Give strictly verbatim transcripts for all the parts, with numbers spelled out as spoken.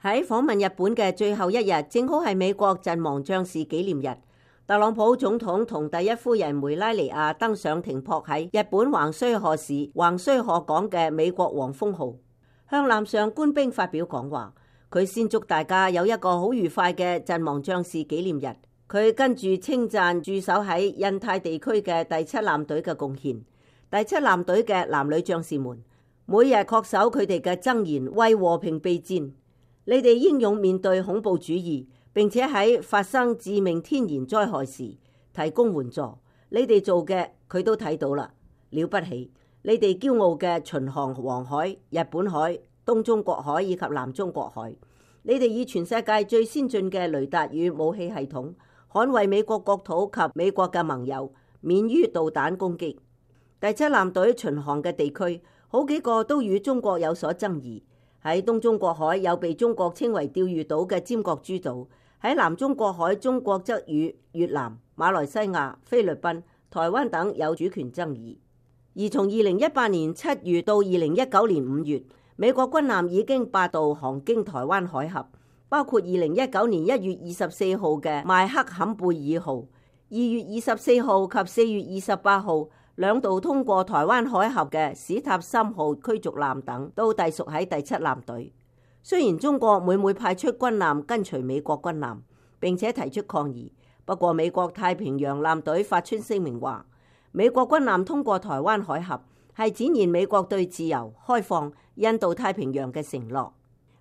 喺訪問日本嘅最後一日，正好係美國陣亡將士紀念日。特朗普總統同第一夫人梅拉尼亞登上停泊喺日本橫須賀市橫須賀港嘅美國黃蜂號，向艦上官兵發表講話。佢先祝大家有一個好愉快嘅陣亡將士紀念日。佢跟住稱讚駐守喺印太地區嘅第七艦隊嘅貢獻。第七艦隊嘅男女將士們，每日恪守佢哋嘅箴言，為和平備戰。你哋英勇面對恐怖主義，並且喺發生致命天然災害時提供援助。你哋做嘅佢都睇到啦，了不起！你哋驕傲嘅巡航黃海、日本海、東中國海以及南中國海，你哋以全世界最先進嘅雷達與武器系統，捍衛美國國土及美國嘅盟友免於導彈攻擊。第七艦隊巡航嘅地區好幾個都與中國有所爭議。喺東中國海有被中國稱為釣魚島嘅尖閣諸島，喺南中國海中國則與越南、馬來西亞、菲律賓、台灣等有主權爭議。而從二零一八年七月到二零一九年五月，美國軍艦已經八度航經台灣海峽，包括二零一九年一月二十四號嘅邁克坎貝爾號，二月二十四號及四月二十八號兩度通過台灣海峽嘅史塔森號驅逐艦等，都隸屬喺第七艦隊。雖然中國每每派出軍艦跟隨美國軍艦，並且提出抗議，不過美國太平洋艦隊發出聲明話，美國軍艦通過台灣海峽係展現美國對自由、開放、印度太平洋嘅承諾。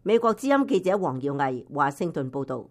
美國之音記者黃耀毅華盛頓報道。